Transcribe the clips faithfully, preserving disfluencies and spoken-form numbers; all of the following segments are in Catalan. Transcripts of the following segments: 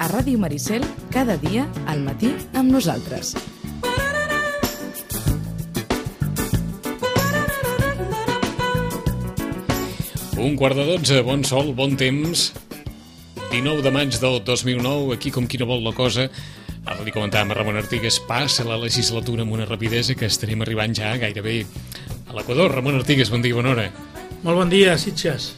a Ràdio Maricel, cada dia al matí amb nosaltres. Un quart de dotze, bon sol, bon temps. dinou de maig del dos mil nou, aquí com qui no vol la cosa. Ara li comentàvem a Ramon Artigues, passa la legislatura amb una rapidesa que estarem arribant ja gairebé a l'Equador. Ramon Artigues, bon dia, bona hora. Molt bon dia, Sitges.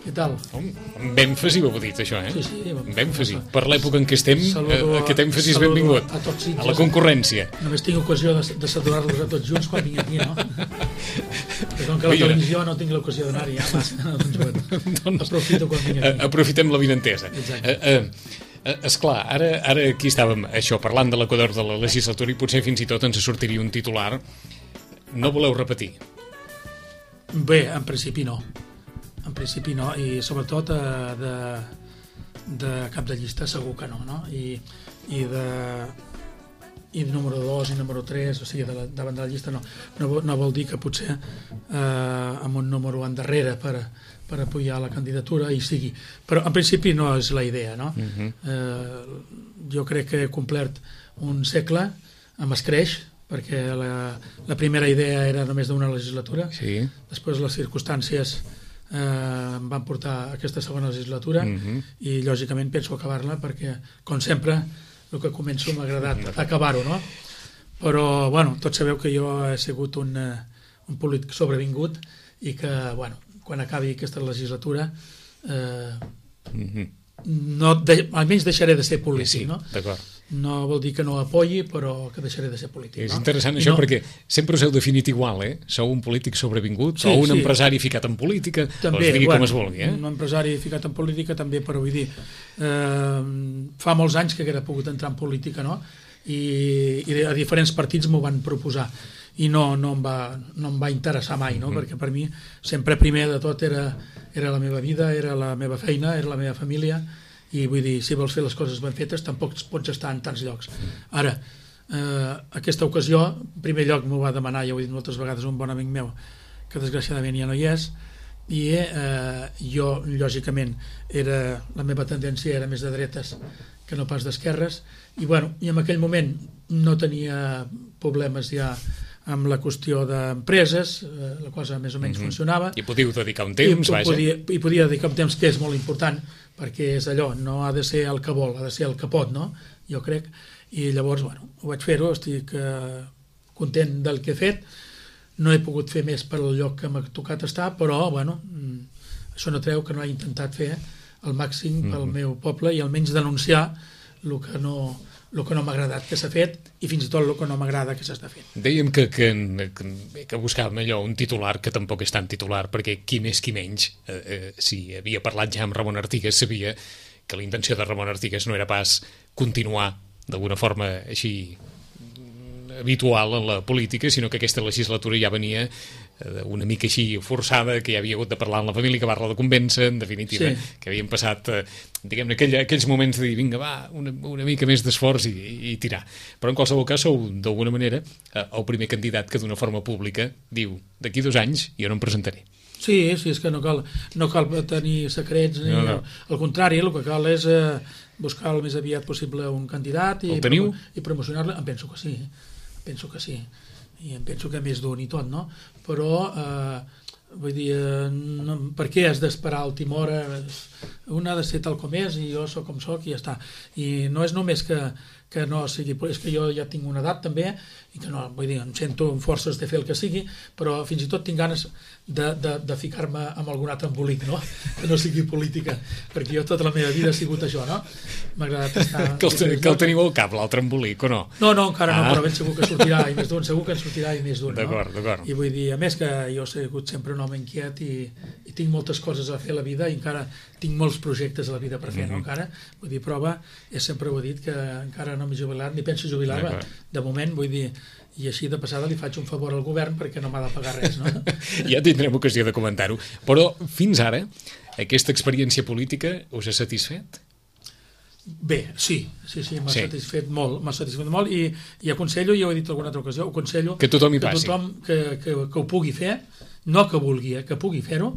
Què tal? Amb èmfasi ho heu dit, això, eh? Sí, sí. Amb èmfasi. Per l'època en què estem, Saludo, aquest èmfasi és benvingut. A, tots Sitges, a la concurrència. Només tinc ocasió de, de saludar-los a tots junts quan vinc aquí, no? Però com que a la televisió no tinc l'ocasió d'anar-hi, ja massa, doncs bueno, doncs, aprofito quan vinc aquí. Aprofitem la vinentesa. Exacte. Uh, uh, esclar, ara, ara aquí estàvem, això, parlant de l'Equador de la legislatura i potser fins i tot ens sortiria un titular. No voleu repetir? Bé, en principi no. En principi no, i sobretot eh, de, de cap de llista segur que no, no? I, i de i número dos i número tres, o sigui, de la, davant de la llista no. No, no vol dir que potser eh, amb un número endarrere per, per apoyar la candidatura hi sigui, però en principi no és la idea, no? Uh-huh. eh, jo crec que he complert un segle amb escreix, perquè la, la primera idea era només d'una legislatura, sí. Després les circumstàncies eh, em van portar a aquesta segona legislatura uh-huh. i lògicament penso acabar-la perquè, com sempre, el que començo m'ha agradat uh-huh. acabar-ho, no? Però, bueno, tots sabeu que jo he sigut un, un polític sobrevingut i que, bueno, quan acabi aquesta legislatura eh, uh-huh. no de, almenys deixaré de ser polític, sí, no? D'acord. No vol dir que no apoyi, però que deixaré de ser polític. És no? interessant això, no... perquè sempre us heu definit igual, eh? Sou un polític sobrevingut, sí, o un sí. empresari ficat en política, també, o es digui bueno, com es vulgui, eh? Un empresari ficat en política també, però vull dir, eh, fa molts anys que haguera pogut entrar en política, no? I, i a diferents partits m'ho van proposar i no, no, em va, no em va interessar mai, no? Mm. Perquè per mi sempre primer de tot era, era la meva vida, era la meva feina, era la meva família, i vull dir, si vols fer les coses ben fetes tampoc pots estar en tants llocs. Ara, eh, aquesta ocasió, en primer lloc m'ho va demanar, ja ho he dit moltes vegades, un bon amic meu que desgraciadament ja no hi és, i eh, jo lògicament era, la meva tendència era més de dretes que no pas d'esquerres, i bueno, i en aquell moment no tenia problemes ja amb la qüestió d'empreses, eh, la cosa més o menys mm-hmm. funcionava. I podíeu dedicar un temps, I, vaja. Podia, I podia dedicar un temps que és molt important, perquè és allò, no ha de ser el que vol, ha de ser el que pot, no? Jo crec. I llavors, bueno, ho vaig fer-ho, estic eh, content del que he fet. No he pogut fer més per al lloc que m'ha tocat estar, però, bueno, això no treu que no he intentat fer el màxim pel mm-hmm. meu poble i almenys denunciar el que no... el que no m'ha agradat que s'ha fet i fins i tot el que no m'agrada que s'està fent. Dèiem que, que, que, que buscàvem allò, un titular que tampoc és tan titular, perquè qui més qui menys, eh, eh, si havia parlat ja amb Ramon Artigues, sabia que la intenció de Ramon Artigues no era pas continuar d'alguna forma així habitual en la política, sinó que aquesta legislatura ja venia una mica així forçada, que hi havia hagut de parlar amb la família, que va-la de convèncer, en definitiva, sí. Que havien passat, diguem-ne, aquell, aquells moments de dir, vinga, va, una, una mica més d'esforç i, i tirar. Però en qualsevol cas sou, d'alguna manera, el primer candidat que d'una forma pública diu, d'aquí dos anys jo no em presentaré. Sí, sí, és que no cal, no cal tenir secrets, ni, no, no. Al contrari, el que cal és eh, buscar el més aviat possible un candidat i, promo i promocionar-lo. Em penso que sí, penso que sí. I em penso que més d'un i tot, no? Però, eh, vull dir, eh, no, per què has d'esperar a última hora? Un ha de ser tal com és i jo sóc com sóc i ja està. I no és només que, que no sigui... És que jo ja tinc una edat també i que no, vull dir, em sento amb forces de fer el que sigui, però fins i tot tinc ganes de, de, de ficar-me amb algun altre embolic, no? Que no sigui política, perquè jo tota la meva vida he sigut això, no? M'ha agradat estar... Que el, que el teniu al cap, l'altre embolic, o no? No, no, encara ah. no, però ben segur que sortirà i més d'un, segur que en sortirà i més d'un, no? D'acord, d'acord. I vull dir, a més que jo he sigut sempre un home inquiet i, i tinc moltes coses a fer a la vida i encara tinc molts projectes a la vida per fer, mm-hmm. no? Encara, vull dir, prova, ja sempre ho he dit, que encara no m'he jubilat, ni penso jubilar-me, de moment, vull dir, i així de passada li faig un favor al govern perquè no m'ha de pagar res, no? Ja tindrem ocasió de comentar-ho. Però fins ara, aquesta experiència política us ha satisfet? Bé, sí, sí, sí, m'ha sí. satisfet molt, m'ha satisfet molt i, i aconsello, ja ho he dit alguna altra ocasió, aconsello que tothom hi que passi. tothom que, que, que ho pugui fer, no que vulgui, eh, que pugui fer-ho,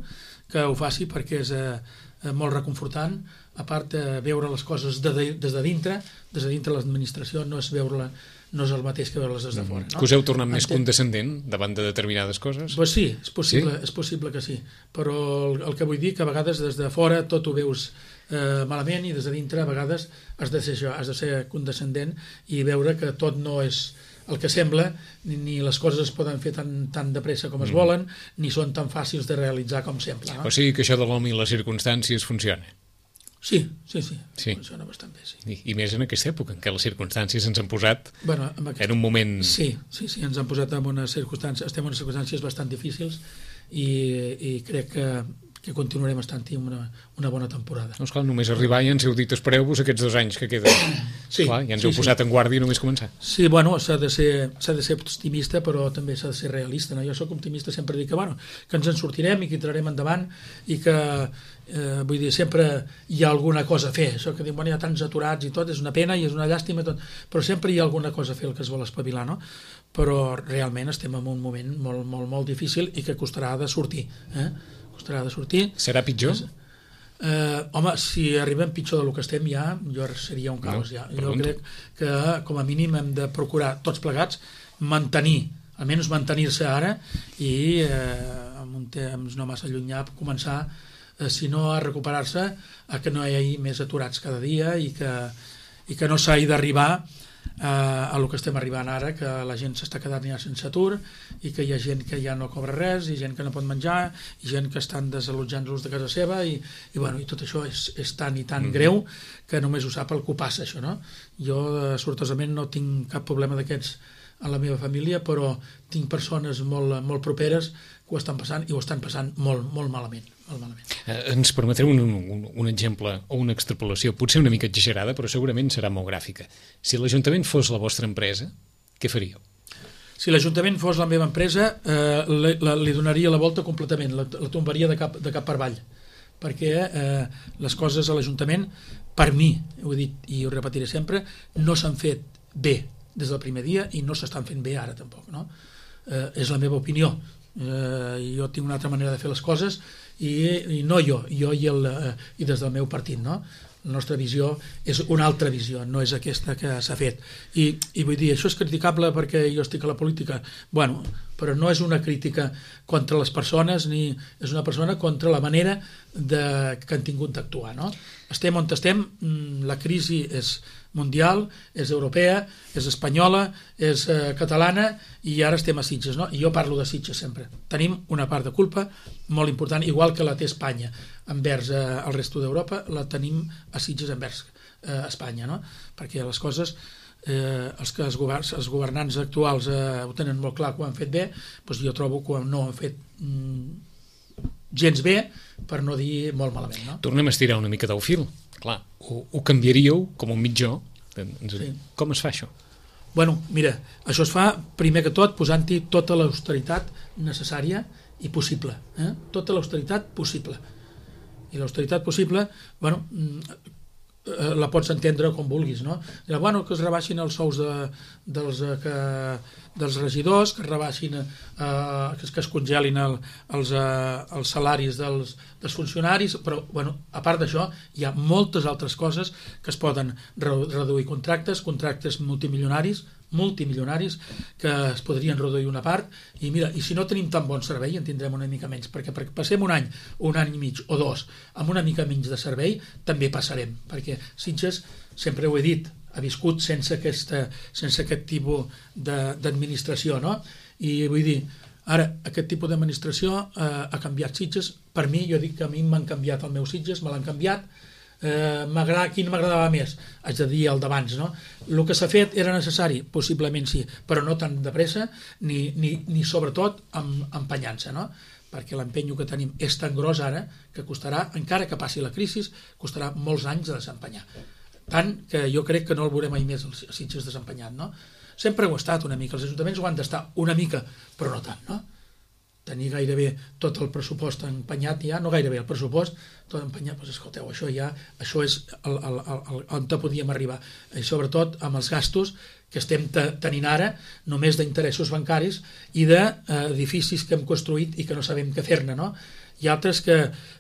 que ho faci perquè és, eh, eh, molt reconfortant, a part de veure les coses de, de, des de dintre, des de dintre l'administració no és veure-la, no és el mateix que veure-les des de fora. No? Que us heu tornat més condescendent davant de determinades coses? Pues sí, és possible, sí? és possible que sí, però el, el que vull dir que a vegades des de fora tot ho veus eh, malament i des de dintre a vegades has de ser això, has de ser condescendent i veure que tot no és el que sembla, ni, ni les coses es poden fer tan, tan de pressa com es volen, ni són tan fàcils de realitzar com sembla. No? O sigui que això de l'home i les circumstàncies funciona? Sí, sí, sí, sí. Funciona bastant bé, sí. I, I més en aquesta època, en què les circumstàncies ens han posat bueno, en, aquest... en un moment... Sí, sí, sí, ens han posat en unes circumstàncies, estem en unes circumstàncies bastant difícils i, i crec que, que continuarem estant-hi una, una bona temporada. No, esclar, només arribar i ens heu dit espereu-vos aquests dos anys que queden. Sí, esclar, ja ens sí, heu posat sí. en guàrdia només començar. Sí, bueno, s'ha de ser, s'ha de ser optimista, però també s'ha de ser realista. No? Jo sóc optimista, sempre dic que, bueno, que ens en sortirem i que tirarem endavant i que, eh, vull dir, sempre hi ha alguna cosa a fer. Això que dic, bueno, hi ha tants aturats i tot, és una pena i és una llàstima, tot, però sempre hi ha alguna cosa a fer el que es vol espavilar, no? Però realment estem en un moment molt, molt, molt difícil i que costarà de sortir. Eh? Costarà de sortir. Serà pitjor? És, Eh, home, si arribem pitjor del que estem ja, jo seria un caos. No, ja. Jo crec que com a mínim hem de procurar tots plegats mantenir, almenys mantenir-se ara i eh, en un temps no massa llunyà començar, eh, si no a recuperar-se, a que no hi hagi més aturats cada dia i que, i que no s'hagi d'arribar eh, a el que estem arribant ara, que la gent s'està quedant ja sense atur i que hi ha gent que ja no cobra res i gent que no pot menjar i gent que estan desallotjant-los de casa seva i, i, bueno, i tot això és, és tan i tan mm. greu que només ho sap el que ho passa, això, no? Jo, eh, sortosament, no tinc cap problema d'aquests a la meva família, però tinc persones molt, molt properes que ho estan passant i ho estan passant molt, molt malament. Molt malament. Eh, ens permetreu un, un, un exemple o una extrapolació, potser una mica exagerada, però segurament serà molt gràfica. Si l'Ajuntament fos la vostra empresa, què faríeu? Si l'Ajuntament fos la meva empresa, eh, li, la, li donaria la volta completament, la, la tombaria de cap, de cap per avall, perquè eh, les coses a l'Ajuntament, per mi, ho he dit i ho repetiré sempre, no s'han fet bé des del primer dia i no s'estan fent bé ara tampoc, no? Eh, és la meva opinió. Eh, jo tinc una altra manera de fer les coses i, i no jo, jo i, el, eh, i des del meu partit, no? La nostra visió és una altra visió, no és aquesta que s'ha fet. I, i vull dir, això és criticable perquè jo estic a la política. Bueno, però no és una crítica contra les persones ni és una persona contra la manera de, que han tingut d'actuar, no? Estem on estem, la crisi és mundial, és europea, és espanyola, és eh, catalana i ara estem a Sitges, no? I jo parlo de Sitges sempre. Tenim una part de culpa molt important, igual que la té Espanya envers eh, el resto d'Europa, la tenim a Sitges envers eh, Espanya, no? Perquè les coses, eh, els, que els, governs, els governants actuals eh, ho tenen molt clar que ho han fet bé, doncs jo trobo que no ho han fet mm, gens bé, per no dir molt malament, no? Tornem a estirar una mica del fil. Clar, ho, ho canviaríeu com un mitjó. Sí. Com es fa això? Bueno, mira, això es fa primer que tot posant-hi tota l'austeritat necessària i possible, eh? Tota l'austeritat possible. I l'austeritat possible, bueno, la pots entendre com vulguis, no? Bueno, que es rebaixin els sous de, dels, que, dels regidors, que es rebaixin, eh, que, es, que es congelin el, els, eh, els salaris dels, dels funcionaris, però, bueno, a part d'això, hi ha moltes altres coses que es poden reduir contractes, contractes multimilionaris, multimilionaris que es podrien reduir una part i mira, i si no tenim tan bon servei en tindrem una mica menys, perquè, perquè passem un any un any i mig o dos amb una mica menys de servei, també passarem perquè Sitges, sempre ho he dit ha viscut sense, aquesta, sense aquest tipus d'administració, no? I vull dir, ara aquest tipus d'administració eh, ha canviat Sitges, per mi, jo dic que a mi m'han canviat el meu Sitges, me l'han canviat. Eh, quin m'agradava més? Haig de dir el d'abans, no? El que s'ha fet era necessari? Possiblement sí, però no tan de pressa ni, ni, ni sobretot amb empenyant-se, no? Perquè l'empenyo que tenim és tan gros ara que costarà, encara que passi la crisi, costarà molts anys de desempenyar. Tant que jo crec que no el veurem mai més els Sitges desempenyat, no? Sempre ho ha estat una mica, els ajuntaments ho han d'estar una mica, però no tant, no? tenir gairebé tot el pressupost empenyat ja, no gairebé el pressupost, tot empenyat, doncs escolteu, això ja, això és el, el, el, el, on podíem arribar, i sobretot amb els gastos que estem tenint ara, només d'interessos bancaris i d'edificis que hem construït i que no sabem què fer-ne, no? Hi ha altres que,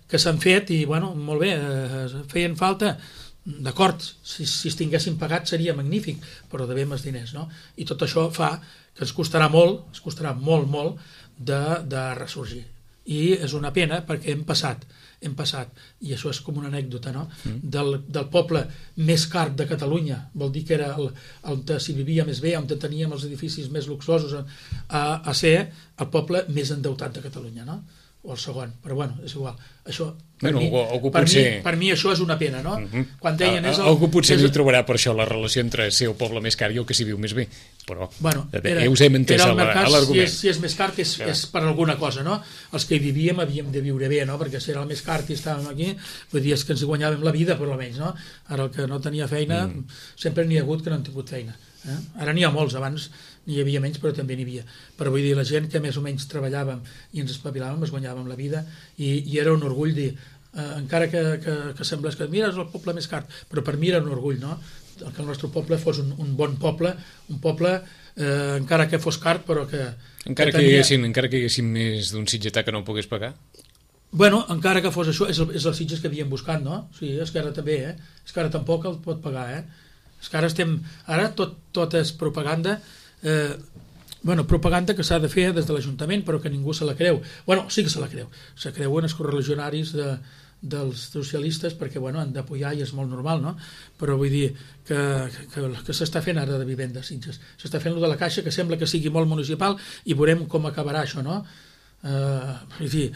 que s'han fet i, bueno, molt bé, eh, feien falta, d'acord, si, si es tinguessin pagat seria magnífic, però devem els diners, no? I tot això fa que ens costarà molt, ens costarà molt, molt de, de ressorgir. I és una pena perquè hem passat, hem passat, i això és com una anècdota, no? Mm. Del, del poble més car de Catalunya, vol dir que era el, on s'hi vivia més bé, on teníem els edificis més luxosos, a, a ser el poble més endeutat de Catalunya, no? O el segon, però bueno, és igual. Això, per, bueno, mi, algú, algú per, potser... mi, per mi això és una pena, no? Uh -huh. Quan deien... És el, algú potser és... no hi trobarà per això la relació entre ser el poble més car i el que s'hi viu més bé, però bueno, era, ja us hem entès l'argument. Si, és, si és més car és, és per alguna cosa, no? Els que hi vivíem havíem de viure bé, no? Perquè si era el més car i estàvem aquí, vull dir, és que ens hi guanyàvem la vida, per almenys, no? Ara el que no tenia feina, mm. sempre n'hi ha hagut que no han tingut feina. Eh? Ara n'hi ha molts, abans n'hi havia menys, però també n'hi havia. Però vull dir, la gent que més o menys treballàvem i ens espavilàvem, es guanyàvem la vida, i, i era un orgull dir, eh, encara que, que, que semblés que mira, és el poble més car, però per mi era un orgull, no? Que el nostre poble fos un, un bon poble, un poble, eh, encara que fos car, però que... Encara que, que, tenia... hi haguessin, encara que hi haguessin més d'un sitgetà que no ho pogués pagar? Bueno, encara que fos això, és el, és el Sitges que havíem buscat, no? Sí, és que ara també, eh? És que ara tampoc el pot pagar, eh? És que ara estem... Ara tot, tot és propaganda... Eh, bueno, propaganda que s'ha de fer des de l'Ajuntament, però que ningú se la creu. Bueno, sí que se la creu. Se creuen els correligionaris de, dels socialistes perquè, bueno, han d'apoyar i és molt normal, no? Però vull dir que, que, que s'està fent ara de vivenda a Sitges. S'està fent lo de la Caixa, que sembla que sigui molt municipal, i veurem com acabarà això, no? Eh, vull dir,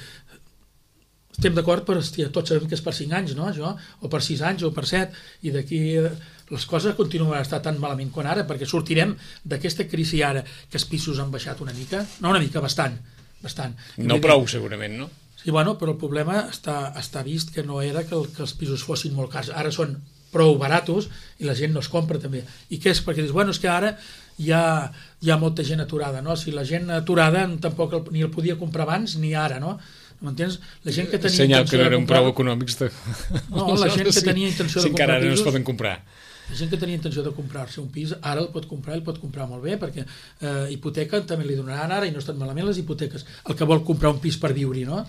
estem d'acord, però hòstia, tots sabem que és per cinc anys, no? Això, o per sis anys, o per set, i d'aquí... les coses continuaran a estar tan malament com ara, perquè sortirem d'aquesta crisi ara, que els pisos han baixat una mica, no una mica, bastant, bastant. No prou, segurament, no? Sí, bueno, però el problema està, està vist que no era que, el, que els pisos fossin molt cars, ara són prou baratos i la gent no es compra també. I què és? Perquè dius, bueno, és que ara hi ha, hi ha molta gent aturada, no? Si la gent aturada tampoc el, ni el podia comprar abans ni ara, no? M'entens? La gent que tenia Senyal intenció que no eren de comprar... prou econòmics de... No, la gent que tenia intenció de si comprar encara pisos... no es poden comprar. La gent que tenia intenció de comprar-se un pis, ara el pot comprar, el pot comprar molt bé, perquè eh, hipoteca també li donaran ara, i no estan malament les hipoteques. El que vol comprar un pis per viure-hi, no?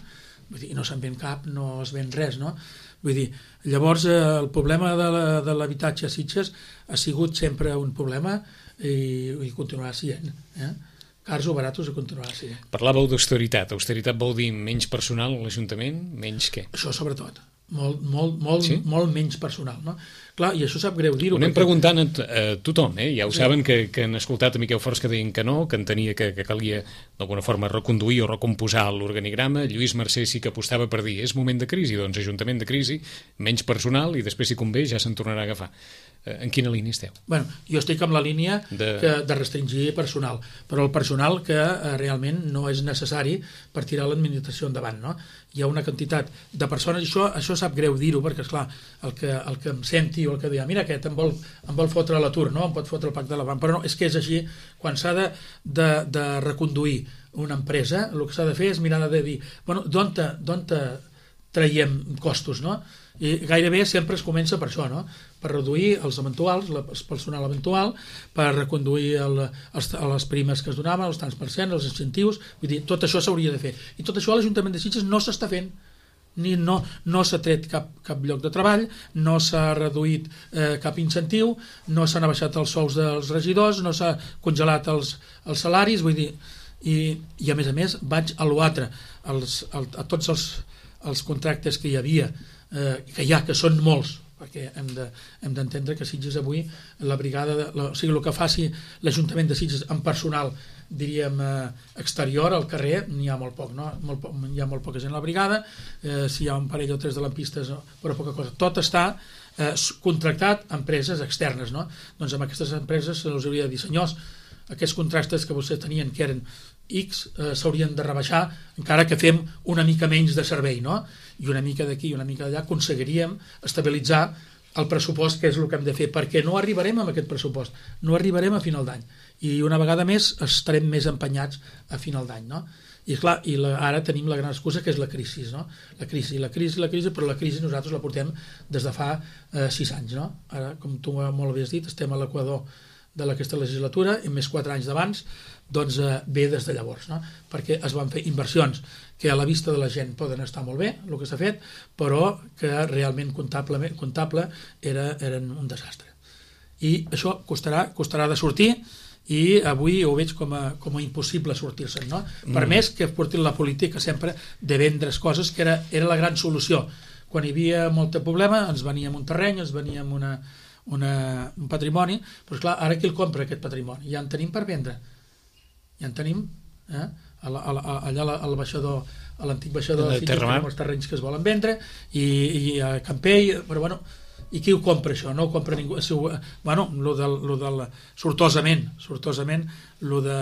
Vull dir, no se'n ven cap, no es ven res, no? Vull dir, llavors eh, el problema de l'habitatge a Sitges ha sigut sempre un problema i, i continuarà sent, eh? Cars o baratos a continuar sent. Parlàveu d'austeritat. Austeritat vol dir menys personal a l'Ajuntament? Menys què? Això sobretot. Molt, molt, molt, sí? molt menys personal, no? Clar, i això sap greu dir-ho. Ho anem perquè... preguntant a, a tothom, eh? Ja ho sí. saben que, que han escoltat a Miquel Forns que deien que no, que entenia que, que calia d'alguna forma reconduir o recomposar l'organigrama. Lluís Mercè sí que apostava per dir és moment de crisi, doncs Ajuntament de crisi, menys personal i després si convé ja se'n tornarà a agafar. En quina línia esteu? Bueno, jo estic amb la línia de... Que, de restringir personal, però el personal que eh, realment no és necessari per tirar l'administració endavant, no? Hi ha una quantitat de persones, i això, això sap greu dir-ho, perquè, esclar, el que, el que em senti o el que diu, mira, aquest em vol, em vol fotre a l'atur, no? Em pot fotre el pacte de la banca, però no, és que és així, quan s'ha de, de, de reconduir una empresa, el que s'ha de fer és mirar de dir, bueno, d'on te, d'on te traiem costos, no? I gairebé sempre es comença per això, no? Per reduir els eventuals, el personal eventual, per reconduir el, els, les primes que es donaven, els tants per cent, els incentius, vull dir, tot això s'hauria de fer. I tot això a l'Ajuntament de Sitges no s'està fent, ni no, no s'ha tret cap, cap lloc de treball, no s'ha reduït eh, cap incentiu, no s'han abaixat els sous dels regidors, no s'ha congelat els, els salaris, vull dir, i, i a més a més vaig a l'altre, als, a, a tots els, els contractes que hi havia, eh, que hi ha, que són molts, perquè hem de, hem d'entendre que Sitges avui, la brigada, de, la, o sigui, el que faci l'Ajuntament de Sitges amb personal, diríem, eh, exterior al carrer, n'hi ha molt poc, no? Molt poc, hi ha molt poca gent a la brigada, eh, si hi ha un parell o tres de lampistes, però poca cosa. Tot està eh, contractat a empreses externes, no? Doncs amb aquestes empreses se'ls hauria de dir, senyors, aquests contractes que vostès tenien, que eren X, eh, s'haurien de rebaixar, encara que fem una mica menys de servei, no? I una mica d'aquí i una mica d'allà aconseguiríem estabilitzar el pressupost, que és el que hem de fer, perquè no arribarem amb aquest pressupost, no arribarem a final d'any, i una vegada més estarem més empenyats a final d'any, no? I, clar, i la, ara tenim la gran excusa que és la crisi, no? La crisi, la crisi, la crisi, però la crisi nosaltres la portem des de fa eh, sis anys, no? Ara, com tu molt havies dit, estem a l'equador de aquesta legislatura, i més quatre anys d'abans, doncs eh, ve des de llavors, no? Perquè es van fer inversions que a la vista de la gent poden estar molt bé, el que s'ha fet, però que realment comptable, comptable era, eren un desastre. I això costarà, costarà de sortir, i avui ho veig com a, com a impossible sortir-se'n, no? Per mm. més que portin la política sempre de vendre's coses, que era, era la gran solució. Quan hi havia molt problema ens veníem un terreny, ens veníem una, una, un patrimoni, però esclar, ara qui el compra aquest patrimoni? Ja en tenim per vendre, ja en tenim, eh? A la, a la, allà al baixador, a l'antic baixador de Fitges tenim els terrenys que es volen vendre, i, i a Campell, però bueno, i qui ho compra això? No ho compra ningú. Bueno, lo del, lo del, sortosament, sortosament, lo, de,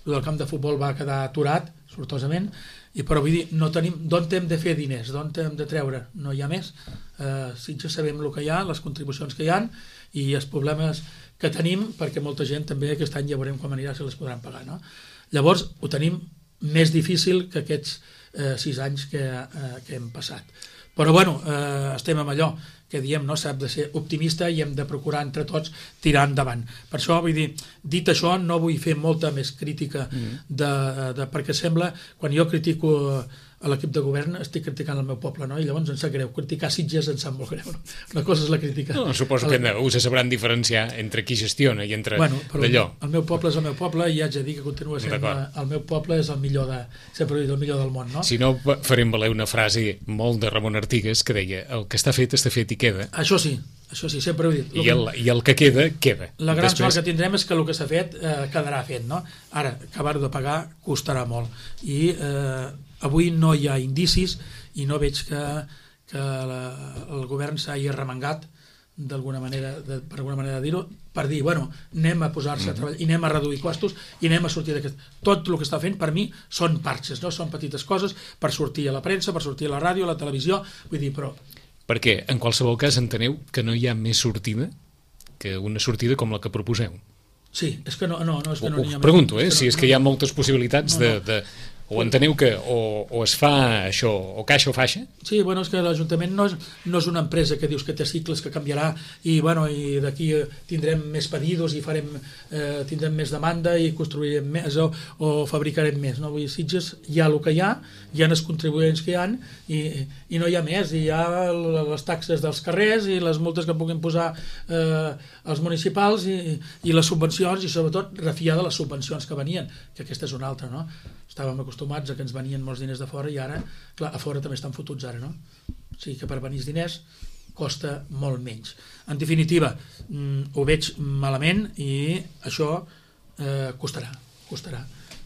lo del camp de futbol va quedar aturat, sortosament, i però vull dir, no tenim, d'on hem de fer diners, d'on hem de treure? No hi ha més. Eh, sí que sabem el que hi ha, les contribucions que hi ha, i els problemes que tenim, perquè molta gent també aquest any ja veurem com anirà, si les podran pagar, no? Llavors, ho tenim més difícil que aquests eh, sis anys que, eh, que hem passat. Però bueno, eh, estem amb allò que diem, no, s'ha de ser optimista i hem de procurar entre tots tirar endavant. Per això, vull dir, dit això, no vull fer molta més crítica de, de, perquè sembla, quan jo critico a l'equip de govern, estic criticant el meu poble, no? I llavors em sap greu. Criticar Sitges em sap molt greu. No? Una cosa és la crítica. No, suposo que us sabran diferenciar entre qui gestiona i entre bueno, d'allò. El meu poble és el meu poble i haig de dir que continua sent el meu poble és el millor de, sempre he dit, el millor del món, no? Si no, farem valer una frase molt de Ramon Artigas que deia, el que està fet, està fet i queda. Això sí, això sí, sempre ho he dit. I el, i el que queda, queda. La gran Després... sort que tindrem és que el que s'ha fet eh, quedarà fet, no? Ara, acabar de pagar costarà molt. I eh, avui no hi ha indicis i no veig que, que la, el govern s'hagi arremangat d'alguna manera, de, per alguna manera de dir-ho, per dir, bueno, anem a posar-se a treballar i anem a reduir costos i anem a sortir d'aquest... Tot el que està fent, per mi, són parxes, no? Són petites coses per sortir a la premsa, per sortir a la ràdio, a la televisió, vull dir, però... Perquè, en qualsevol cas, enteneu que no hi ha més sortida que una sortida com la que proposeu. Sí, és que no, no, no és que no n'hi ha més. Ho pregunto, eh? Si és que hi ha moltes possibilitats de... de... O enteneu que o, o es fa això, o caixa o faixa? Sí, bueno, és que l'Ajuntament no és, no és una empresa que dius que té cicles, que canviarà i, bueno, i d'aquí tindrem més pedidos i farem, eh, tindrem més demanda i construirem més o, o fabricarem més. No? Vull dir, Sitges hi ha el que hi ha, hi ha els contribuents que hi ha i, i no hi ha més. I hi ha les taxes dels carrers i les multes que puguin posar eh, els municipals i, i les subvencions i sobretot refiar de les subvencions que venien, que aquesta és una altra, no? Estàvem acostumats a que ens venien molts diners de fora i ara, clar, a fora també estan fotuts ara, no? O sigui que per venir els diners costa molt menys. En definitiva, mm, ho veig malament i això eh, costarà, costarà,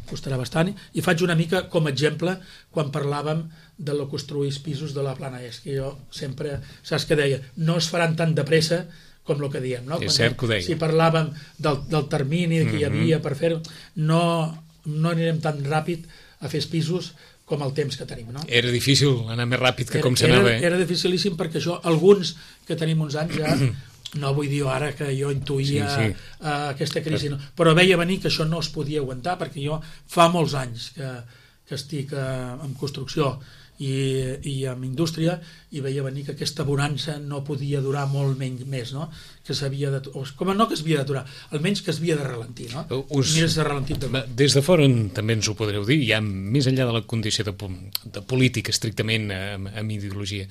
costarà bastant. I faig una mica com a exemple quan parlàvem de lo construir pisos de la Plana Est, que jo sempre, saps què deia? No es faran tan de pressa com el que diem, no? És cert que ho deia. Si parlàvem del, del termini que hi havia per fer-ho, no... no anirem tan ràpid a fer els pisos com el temps que tenim, no? Era difícil anar més ràpid que era, com s'anava, eh? Era dificilíssim perquè això, alguns que tenim uns anys ja, no vull dir ara que jo intuïa sí, sí. Uh, aquesta crisi, no, però veia venir que això no es podia aguantar perquè jo fa molts anys que, que estic uh, en construcció i, i en indústria i veia venir que aquesta bonança no podia durar molt menys més, no? Que s'havia de... O, com no que s'havia d'aturar, almenys que s'havia de ralentir, no? Us... Mira, s'ha ralentit de... Des de fora també ens ho podreu dir, ja més enllà de la condició de, de política estrictament amb, amb ideologia.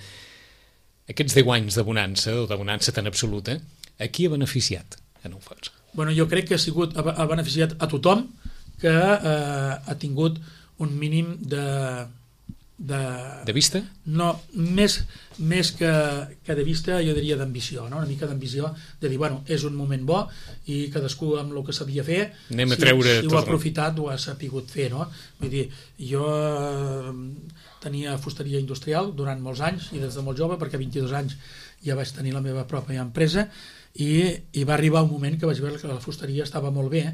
Aquests deu anys de bonança, o de bonança tan absoluta, a qui ha beneficiat, en el fons? Bueno, jo crec que ha, sigut, ha beneficiat a tothom que eh, ha tingut un mínim de... De, de vista? No, més, més que, que de vista, jo diria d'ambició, no? Una mica d'ambició, de dir, bueno, és un moment bo i cadascú amb el que sabia fer, anem a si, treure si ho ha aprofitat, ho ha sapigut fer, no? Vull dir, jo eh, tenia fusteria industrial durant molts anys i des de molt jove, perquè a vint-i-dos anys ja vaig tenir la meva pròpia empresa i, i va arribar un moment que vaig veure que la fusteria estava molt bé,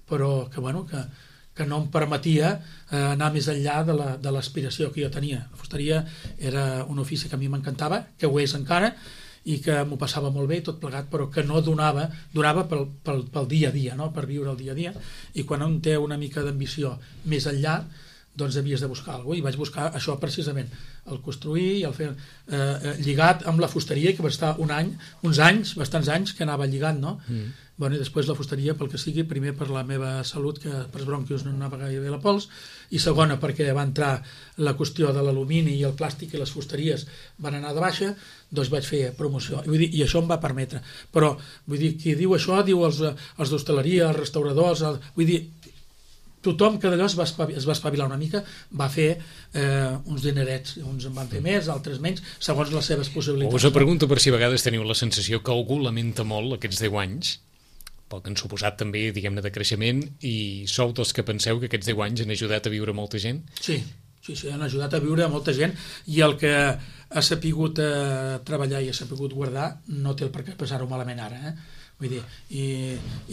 però que, bueno, que que no em permetia eh, anar més enllà de l'aspiració que jo tenia. La fusteria era un ofici que a mi m'encantava, que ho és encara, i que m'ho passava molt bé, tot plegat, però que no donava, donava pel, pel, pel dia a dia, no? Per viure el dia a dia, i quan un té una mica d'ambició més enllà, doncs havies de buscar alguna cosa, i vaig buscar això precisament, el construir i el fer eh, lligat amb la fusteria, que va estar un any, uns anys, bastants anys que anava lligant, no? Mm. Bueno, i després la fusteria, pel que sigui, primer per la meva salut, que per bronquios no anava gaire bé la pols, i segona perquè va entrar la qüestió de l'alumini i el plàstic i les fusteries van anar de baixa, doncs vaig fer promoció. I, vull dir, i això em va permetre. Però, vull dir, qui diu això, diu els, els d'hostaleria, els restauradors, el, vull dir, tothom que d'allò es va espavilar, es va espavilar una mica, va fer eh, uns dinerets, uns en van fer més, altres menys, segons les seves possibilitats. Us ho pregunto per si a vegades teniu la sensació que algú lamenta molt aquests deu anys, pel que han suposat també, diguem-ne, de creixement, i sou dels que penseu que aquests deu anys han ajudat a viure molta gent? Sí, sí, sí, han ajudat a viure molta gent, i el que ha sapigut eh, treballar i ha sapigut guardar no té el per què passar-ho malament ara, eh? Vull dir, i,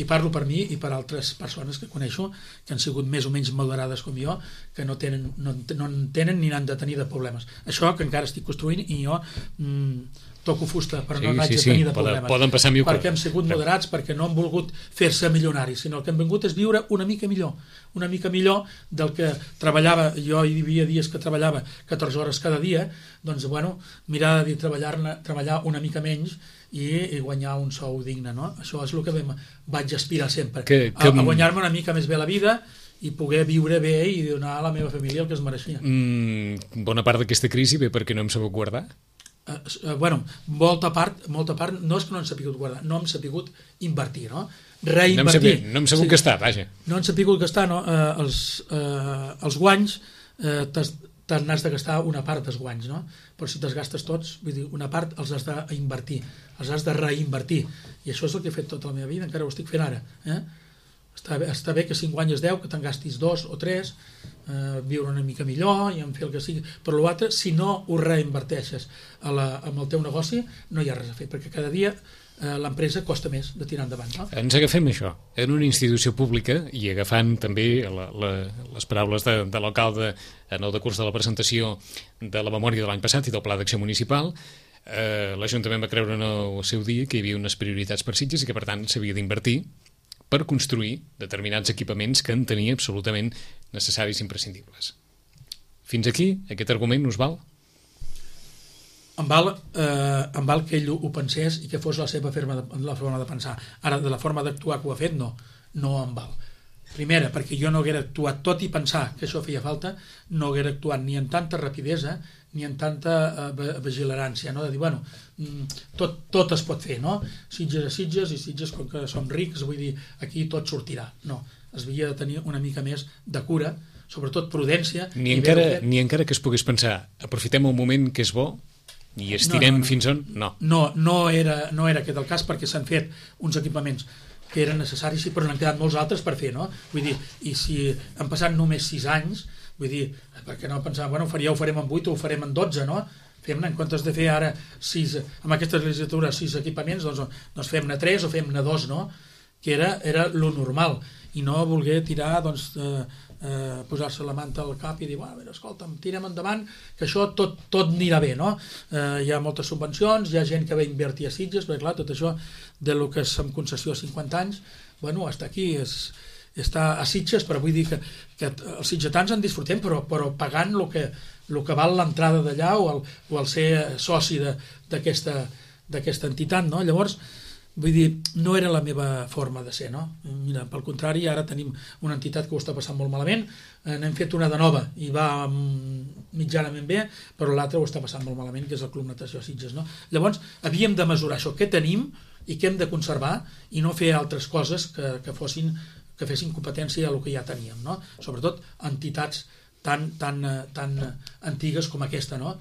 i parlo per mi i per altres persones que coneixo que han sigut més o menys moderades com jo, que no tenen, no, no en tenen ni n'han de tenir de problemes. Això que encara estic construint i jo mm, toco fusta, però sí, no n'haig sí, de tenir sí. de problemes. Poden, poden passar mil perquè hem sigut moderats, perquè no han volgut fer-se milionaris, sinó el que hem vingut és viure una mica millor, una mica millor del que treballava. Jo hi havia dies que treballava catorze hores cada dia, doncs, bueno, mirar de treballar, treballar una mica menys i, i guanyar un sou digne, no? Això és el que vam, vaig aspirar sempre, que, que... a, a guanyar-me una mica més bé la vida i poder viure bé i donar a la meva família el que es mereixia. Mm, bona part d'aquesta crisi ve perquè no hem sabut guardar? Uh, uh, bueno, molta part, molta part no és que no hem sapigut guardar, no hem sapigut invertir, no? Reinvertir. No hem sabut, no hem sabut sí, gastar, vaja. No hem sapigut gastar, no? Uh, els, uh, els guanys uh, te n'has de gastar una part dels guanys, no? Però si te'ls gastes tots, vull dir, una part els has d'invertir, els has de reinvertir, i això és el que he fet tota la meva vida, encara ho estic fent ara, eh? Està bé, està bé que si en guanyes deu, que te'n gastis dos o tres, eh, viure una mica millor i en fer el que sigui, però l'altre, si no ho reinverteixes a la, amb el teu negoci, no hi ha res a fer, perquè cada dia eh, l'empresa costa més de tirar endavant, no? Ens agafem això, en una institució pública, i agafant també la, la, les paraules de, de l'alcalde en el decurs de la presentació de la memòria de l'any passat i del Pla d'Acció Municipal, eh, l'Ajuntament va creure en el seu dia que hi havia unes prioritats per Sitges i que per tant s'havia d'invertir per construir determinats equipaments que en tenia absolutament necessaris i imprescindibles. Fins aquí, aquest argument us val? Em val, eh, em val que ell ho pensés i que fos la seva forma de, la forma de pensar. Ara, de la forma d'actuar que ho ha fet, no. No em val. Primera, perquè jo no haguera actuat, tot i pensar que això feia falta, no haguera actuat ni en tanta rapidesa ni en tanta eh, vigilància, no? De dir, bueno, tot, tot es pot fer, no? Sitges a Sitges, i Sitges, com que som rics, vull dir, aquí tot sortirà. No, es havia de tenir una mica més de cura, sobretot prudència. Ni, encara, ni encara que es pogués pensar, aprofitem el moment que és bo i estirem no, no, no. fins on? No. No, no era, no era aquest el cas, perquè s'han fet uns equipaments que eren necessaris, però n'han quedat molts altres per fer, no? Vull dir, i si han passat només sis anys, vull dir, perquè no pensar, bueno, ja ho farem en vuit o ho farem en dotze, no? Fem-ne, en comptes de fer ara sis, amb aquesta legislatura sis equipaments, doncs, doncs fem-ne tres o fem-ne dos, no? Que era, era lo normal, i no voler tirar, doncs, eh, eh, posar-se la manta al cap i dir, bueno, a veure, escolta'm, tirem endavant, que això tot, tot anirà bé, no? Eh, hi ha moltes subvencions, hi ha gent que va invertir a Sitges, perquè clar, tot això de lo que és amb concessió a cinquanta anys, bueno, està aquí, és... està a Sitges, però vull dir que, que els sitgetans en disfrutem, però, però pagant el que, el que val l'entrada d'allà o, el, o el ser soci d'aquesta entitat, no? Llavors, vull dir, no era la meva forma de ser, no? Mira, pel contrari, ara tenim una entitat que ho està passant molt malament, eh, n'hem fet una de nova i va mitjanament bé, però l'altra ho està passant molt malament, que és el Club Natació Sitges, no? Llavors, havíem de mesurar això, què tenim i què hem de conservar, i no fer altres coses que, que fossin que fessin competència a el que ja teníem, no? Sobretot entitats tan, tan, tan antigues com aquesta, no?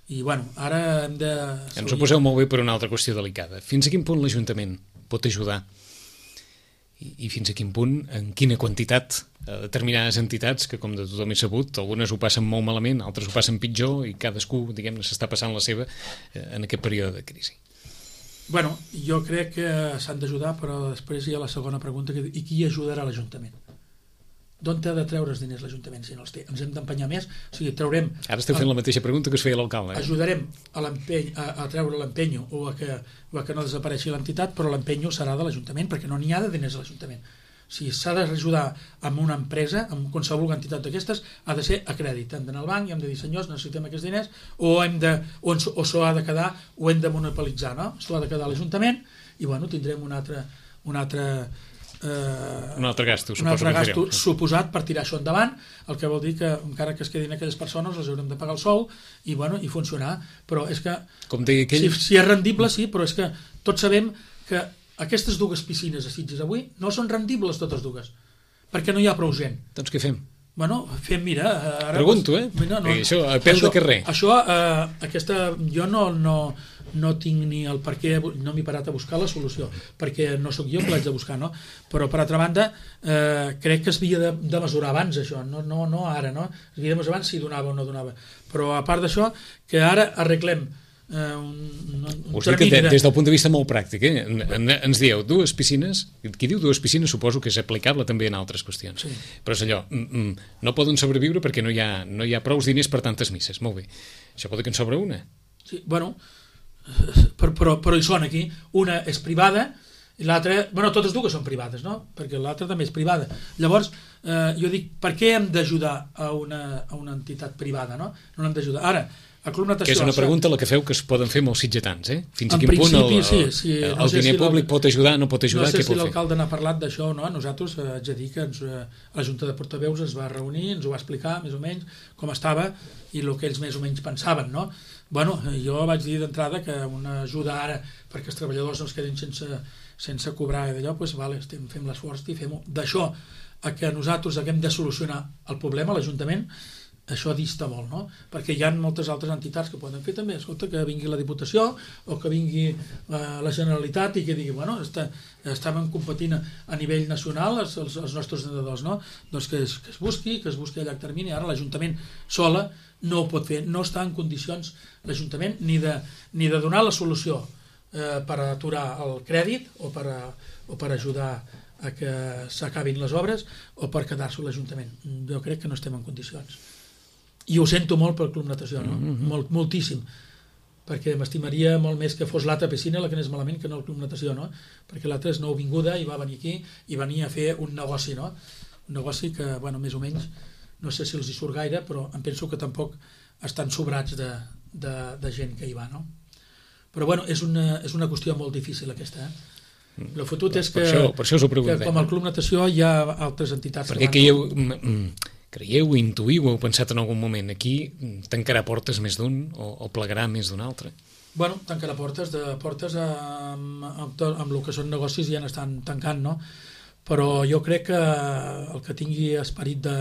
I, bueno, ara hem de... Ens ho poseu molt bé per una altra qüestió delicada. Fins a quin punt l'Ajuntament pot ajudar? I, i fins a quin punt, en quina quantitat, a determinades entitats, que com de tothom he sabut, algunes ho passen molt malament, altres ho passen pitjor, i cadascú, diguem-ne, s'està passant la seva en aquest període de crisi. Bueno, jo crec que s'han d'ajudar, però després hi ha la segona pregunta, que, i qui ajudarà l'Ajuntament? D'on ha de treure els diners l'Ajuntament si no els té? Ens hem d'empenyar més? O sigui, traurem... Ara esteu fent la mateixa pregunta que us feia l'alcalde. Eh? Ajudarem a, a, a treure l'empenyo o, a que, o a que no desapareixi l'entitat, però l'empenyo serà de l'Ajuntament, perquè no n'hi ha de diners a l'Ajuntament. si s'ha d'ajudar amb una empresa, amb qualsevol entitat d'aquestes, ha de ser a crèdit. Hem d'anar al banc i hem de dir, senyors, necessitem aquests diners, o hem de, o, o s'ho ha de quedar, o hem de monopolitzar, no? S'ho ha de quedar a l'Ajuntament, i bueno, tindrem un altre, un altre Eh, un altre gasto, un altre gasto suposat per tirar això endavant, el que vol dir que encara que es quedin aquelles persones les haurem de pagar el sou i, bueno, i funcionar, però és que com deia aquell... si, si és rendible sí, però és que tots sabem que aquestes dues piscines a Sitges avui no són rendibles totes dues, perquè no hi ha prou gent. Doncs què fem? Bueno, fem, mira... Ara, pregunto, eh? Mira, no, això, a peu això, de carrer. Això, eh, aquesta, jo no, no, no tinc ni el per què, no m'he parat a buscar la solució, perquè no sóc jo que l'haig de buscar, no? Però, per altra banda, eh, crec que es havia de, de mesurar abans, això, no, no, no ara, no? Es havia de mesurar abans si donava o no donava. Però, a part d'això, que ara arreglem eh, un, un Us dic que de, des del punt de vista molt pràctic, eh? En, en, ens dieu dues piscines, qui diu dues piscines suposo que és aplicable també en altres qüestions, sí. Però és allò, mm, mm, no poden sobreviure perquè no hi ha, no hi ha prous diners per tantes misses, molt bé, això pot dir que en sobra una. Sí, bueno, però, però, però hi són aquí, una és privada i l'altra, bueno, totes dues són privades, no? Perquè l'altra també és privada. Llavors, eh, jo dic, per què hem d'ajudar a una, a una entitat privada, no? No l'hem d'ajudar. Ara, a Club Natació... Que és una pregunta la que feu que es poden fer molts sitgetans, eh? Fins a quin punt el, el, sí, sí, el, no el sé diner si públic pot ajudar, no pot ajudar, no sé què si pot fer? l'alcalde n'ha parlat d'això o no, nosaltres eh, haig de dir que ens, eh, la Junta de Portaveus es va reunir, ens ho va explicar més o menys com estava i el que ells més o menys pensaven, no? Bueno, jo vaig dir d'entrada que una ajuda ara perquè els treballadors no es quedin sense, sense cobrar i d'allò, doncs vale, estem, fem l'esforç i fem-ho. D'això a que nosaltres haguem de solucionar el problema, l'Ajuntament, això dista molt, no? Perquè hi ha moltes altres entitats que poden fer també, escolta, que vingui la Diputació o que vingui eh, la Generalitat i que digui, bueno, està, estàvem competint a nivell nacional els, els, els nostres nedadors, no? Doncs que es, que es busqui, que es busqui a llarg termini. Ara l'Ajuntament sola no ho pot fer, no està en condicions l'Ajuntament ni de, ni de donar la solució eh, per aturar el crèdit o per, a, o per ajudar a que s'acabin les obres o per quedar-se l'Ajuntament. Jo crec que no estem en condicions. I ho sento molt pel Club Natació, no? Mm-hmm. molt, moltíssim, perquè m'estimaria molt més que fos l'altra piscina la que anés malament que no el Club Natació, no? Perquè l'altra és nouvinguda i va venir aquí i venia a fer un negoci, no? Un negoci que, bueno, més o menys, no sé si els hi surt gaire, però em penso que tampoc estan sobrats de, de, de gent que hi va, no? Però, bueno, és una, és una qüestió molt difícil aquesta, eh? El fotut és que, per això, per això que com el Club Natació hi ha altres entitats perquè que van... Creieu, creieu, intuïu, heu pensat en algun moment, aquí tancarà portes més d'un o, o plegarà més d'un altre? Bueno, tancarà portes, de portes amb, amb, amb el que són negocis ja n'estan tancant, no? Però jo crec que el que tingui esperit de,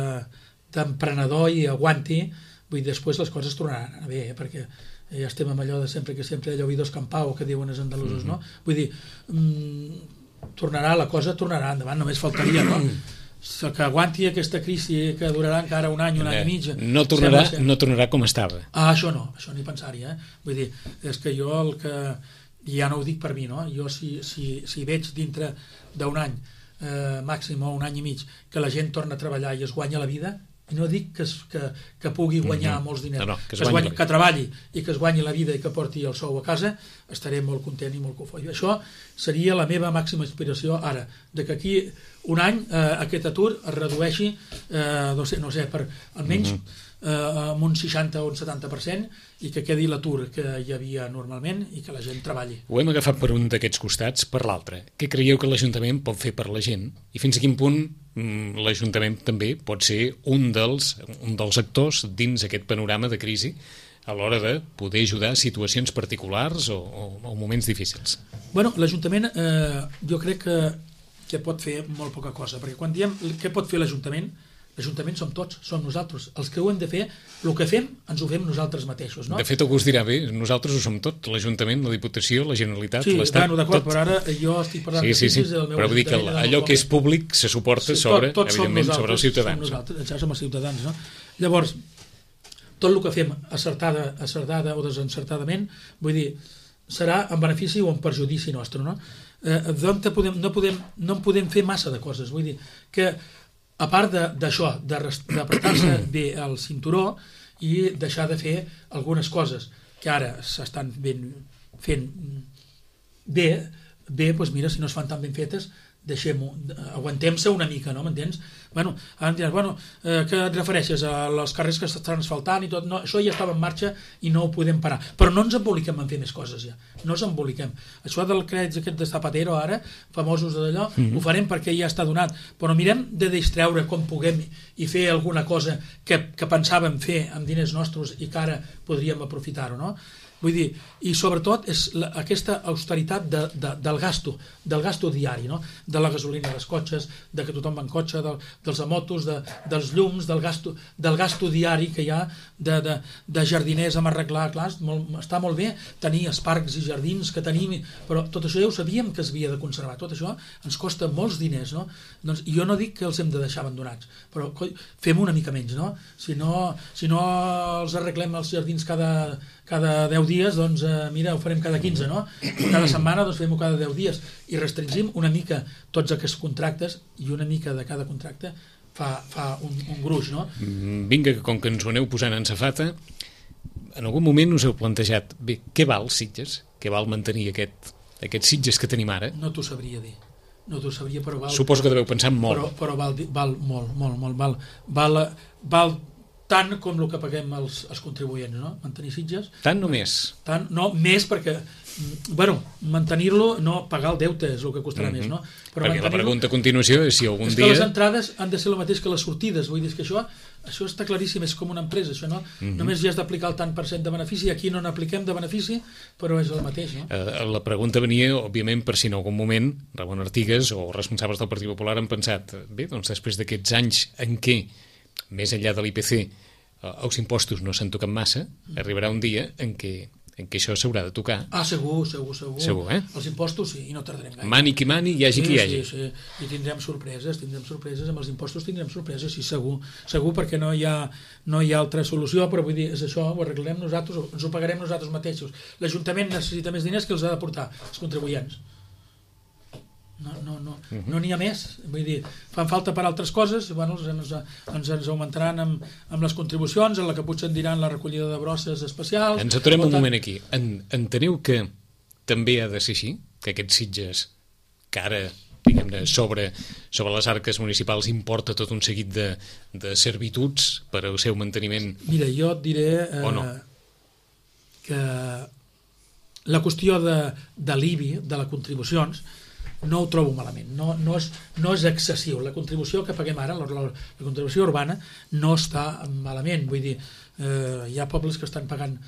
d'emprenedor i aguanti, vull dir, després les coses tornaran a bé, eh? Perquè ja estem amb allò de sempre que sempre allò oídos campau, que diuen els andalusos, mm-hmm. no? Vull dir, mmm, tornarà, la cosa tornarà endavant, només faltaria, no? Que aguanti aquesta crisi que durarà encara un any, un any i mig. No tornarà, no tornarà com estava. Ah, això no, això ni pensar-hi, eh? Vull dir, és que jo el que... Ja no ho dic per mi, no? Jo si, si, si veig dintre d'un any, eh, màxim o un any i mig, que la gent torna a treballar i es guanya la vida, i no dic que, es, que, que pugui guanyar mm-hmm. molts diners, no, no, que, que, es guanyi, que treballi i que es guanyi la vida i que porti el sou a casa, estaré molt content i molt cofoi. Això seria la meva màxima inspiració ara, de que aquí un any eh, aquest atur es redueixi, eh, no sé, no sé per almenys mm-hmm. eh, amb un seixanta o un setanta per cent i que quedi l'atur que hi havia normalment i que la gent treballi. Ho hem agafat per un d'aquests costats, per l'altre. Què creieu que l'Ajuntament pot fer per la gent? I fins a quin punt mm, l'Ajuntament també pot ser un dels, un dels actors dins aquest panorama de crisi a l'hora de poder ajudar a situacions particulars o, o, o moments difícils? Bueno, l'Ajuntament eh, jo crec que, que pot fer molt poca cosa, perquè quan diem què pot fer l'Ajuntament, l'Ajuntament som tots, som nosaltres. Els que ho hem de fer, el que fem, ens ho fem nosaltres mateixos, no? De fet, algú us dirà, bé, nosaltres ho som tot, l'Ajuntament, la Diputació, la Generalitat, sí, l'Estat, bueno, d'acord, tot. però ara jo estic parlant sí, de sí, sí. del meu però vull dir que allò que és públic se suporta sí, sobre, tot, evidentment, sobre els ciutadans. Som nosaltres, ja som els ciutadans, no? Llavors, tot el que fem acertada, acertada o desencertadament, vull dir, serà en benefici o en perjudici nostre, no? Eh, doncs podem, no, podem, no en podem fer massa de coses, vull dir que a part d'això, d'apretar-se bé el cinturó i deixar de fer algunes coses que ara s'estan fent bé, bé, doncs mira, si no es fan tan ben fetes, deixem-ho, aguantem-se una mica, no? M'entens? Bueno, ara em diràs, bueno, eh, què et refereixes a els carrers que s'estan asfaltant i tot? No, això ja estava en marxa i no ho podem parar. Però no ens emboliquem en fer més coses ja. No ens emboliquem. Això del crèdit aquest de Zapatero ara, famosos d'allò, mm-hmm. ho farem perquè ja està donat. Però mirem de distreure com puguem i fer alguna cosa que, que pensàvem fer amb diners nostres i que ara podríem aprofitar-ho, no? Vull dir, i sobretot és la, aquesta austeritat de, de, del gasto, del gasto diari, no? De la gasolina dels cotxes, de que tothom va en cotxe, de, dels motos, de, dels llums, del gasto, del gasto diari que hi ha de, de, de jardiners amb arreglar, clar, molt, està molt bé tenir els parcs i jardins que tenim, però tot això ja ho sabíem que es havia de conservar, tot això ens costa molts diners, no? Doncs jo no dic que els hem de deixar abandonats, però coi, fem una mica menys, no? Si no, si no els arreglem els jardins cada cada deu dies, doncs eh, mira, ho farem cada quinze, no? Cada setmana doncs fem-ho cada deu dies i restringim una mica tots aquests contractes i una mica de cada contracte fa, fa un, un gruix, no? Vinga, que com que ens ho aneu posant en safata, en algun moment us heu plantejat, bé, què val Sitges? Què val mantenir aquest, aquests Sitges que tenim ara? No t'ho sabria dir. No t'ho sabria, però val... Suposo que deveu pensar molt. Però, però val, val molt, molt, molt, val, val, val tant com el que paguem els, els contribuents, no? Mantenir Sitges. Tant només? Tant, no, més perquè, bueno, mantenir-lo, no, pagar el deute és el que costarà mm-hmm. més, no? Però perquè la pregunta a continuació és si algun és dia... És que les entrades han de ser el mateix que les sortides, vull dir que això, això està claríssim, és com una empresa, això no? Mm-hmm. Només ja has d'aplicar el tant per cent de benefici, aquí no n'apliquem de benefici, però és el mateix, no? Uh, la pregunta venia, òbviament, per si en algun moment Ramon Artigas o responsables del Partit Popular han pensat, bé, doncs després d'aquests anys en què, més enllà de l'I P C, els impostos no s'han tocat massa, arribarà un dia en què, en què això s'haurà de tocar. Ah, segur, segur, segur. Segur, eh? Els impostos sí, i no tardarem gaire. Mani qui mani, hi hagi sí, qui hi hagi. Sí, sí, i tindrem sorpreses, tindrem sorpreses, amb els impostos tindrem sorpreses, sí, segur, segur, perquè no hi ha, no hi ha altra solució, però vull dir, és això, ho arreglarem nosaltres, ens ho pagarem nosaltres mateixos. L'Ajuntament necessita més diners que els ha de portar els contribuents. No no, no, uh-huh. no n'hi ha més, vull dir, fan falta per altres coses, bueno, ens, ens, ens augmentaran amb, amb les contribucions, en la que potser en diran la recollida de brosses especials. Ens aturem un moment aquí. En, enteneu que també ha de ser així? Que aquests Sitges, que ara, diguem-ne, sobre, sobre les arques municipals importa tot un seguit de, de servituds per al seu manteniment? Mira, jo et diré eh, o no? que la qüestió de, de l'I B I, de les contribucions, no ho trobo malament, no, no, és, no és excessiu. La contribució que paguem ara, la, la, la contribució urbana, no està malament. Vull dir, eh, hi ha pobles que estan pagant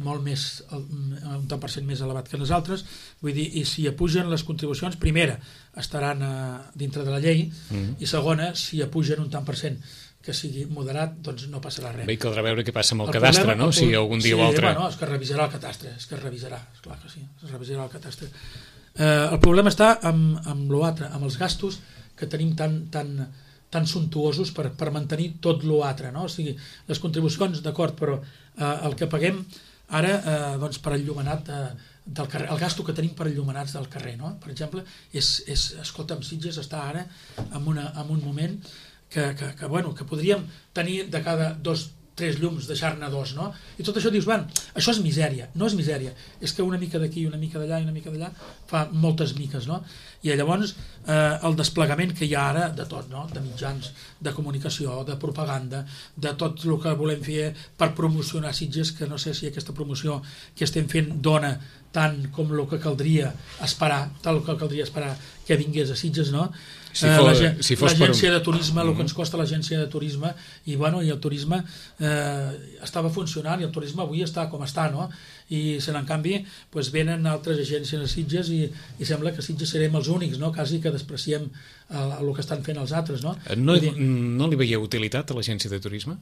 molt més, un tant per cent més elevat que les altres, vull dir, i si apugen les contribucions, primera, estaran a, dintre de la llei, mm. i segona, si apugen un tant per cent que sigui moderat, doncs no passarà res. Bé, caldrà veure què passa amb el, el cadastre, problema, no? Si algun dia sí, o altre... Bueno, és que revisarà el cadastre, és que es revisarà, esclar que sí, es revisarà el cadastre. Eh, el problema està amb, amb l'altre, amb els gastos que tenim tan, tan, tan suntuosos per, per mantenir tot l'altre, no? O sigui, les contribucions, d'acord, però eh, el que paguem ara eh, doncs per enllumenat eh, del carrer, el gasto que tenim per enllumenats del carrer, no? Per exemple, és, és, escolta, amb Sitges està ara en, una, en un moment que, que, que, bueno, que podríem tenir de cada dos tres llums, deixar-ne dos, no? I tot això dius, bueno, això és misèria. No és misèria, és que una mica d'aquí, una mica d'allà i una mica d'allà fa moltes miques, no? I llavors eh, el desplegament que hi ha ara de tot, no? De mitjans, de comunicació, de propaganda, de tot el que volem fer per promocionar Sitges, que no sé si aquesta promoció que estem fent dona tant com el que caldria esperar, tal que caldria esperar que vingués a Sitges, no? Si fos, eh, si fos l'agència un... de turisme, el que ens costa l'agència de turisme, i bueno, i el turisme eh, estava funcionant, i el turisme avui està com està, no? I se en canvi pues, venen altres agències a Sitges i, i sembla que Sitges serem els únics, no? Quasi que despreciem el, el que estan fent els altres, no? No, dir... no li veieu utilitat a l'agència de turisme?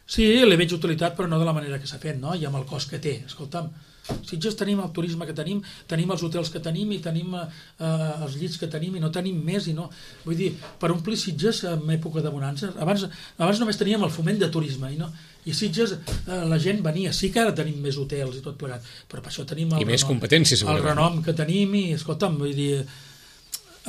Sí, li veig utilitat, però no de la manera que s'ha fet, no? I amb el cost que té. Escolta'm, Sitges tenim el turisme que tenim, tenim els hotels que tenim i tenim eh, els llits que tenim i no tenim més i no... Vull dir, per omplir Sitges en època de bonança, abans, abans només teníem el foment de turisme i no... I Sitges, eh, la gent venia, sí que ara tenim més hotels i tot plegat, però per això tenim el, I més renom, competències, el renom que tenim i, escolta'm, vull dir...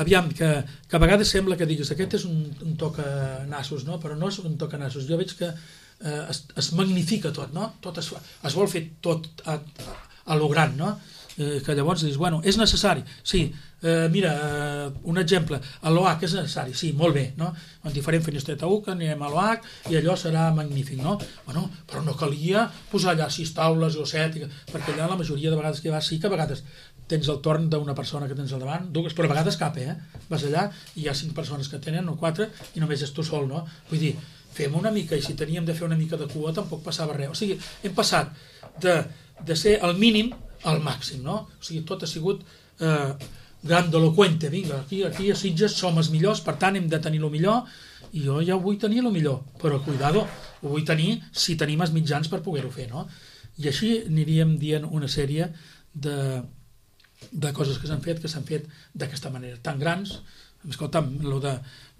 Aviam, que, que a vegades sembla que diguis aquest és un, un tocanassos, no? Però no és un tocanassos. Jo veig que eh, es, es magnifica tot, no? Tot es, es vol fer tot a, a, a lo gran, no? Eh, que llavors dius, bueno, és necessari, sí, eh, mira, eh, un exemple, a l'O H és necessari, sí, molt bé, no? En diferent Finestreta U, que anirem a l'O H i allò serà magnífic, no? Bueno, però no calia posar allà sis taules o set, perquè allà la majoria de vegades que vas, sí que a vegades tens el torn d'una persona que tens al davant, dues, però a vegades cap, eh? Vas allà i hi ha cinc persones que tenen, o quatre, i només és tu sol, no? Vull dir, fem una mica, i si teníem de fer una mica de cua tampoc passava res. O sigui, hem passat de, de ser el mínim al màxim, no? O sigui, tot ha sigut eh, grandiloquente, vinga, aquí, aquí a Sitges som els millors, per tant hem de tenir el millor, i jo ja ho vull tenir el millor, però cuidado, ho vull tenir si tenim els mitjans per poder-ho fer, no? I així aniríem dient una sèrie de, de coses que s'han fet, que s'han fet d'aquesta manera, tan grans. Escolta'm, lo de,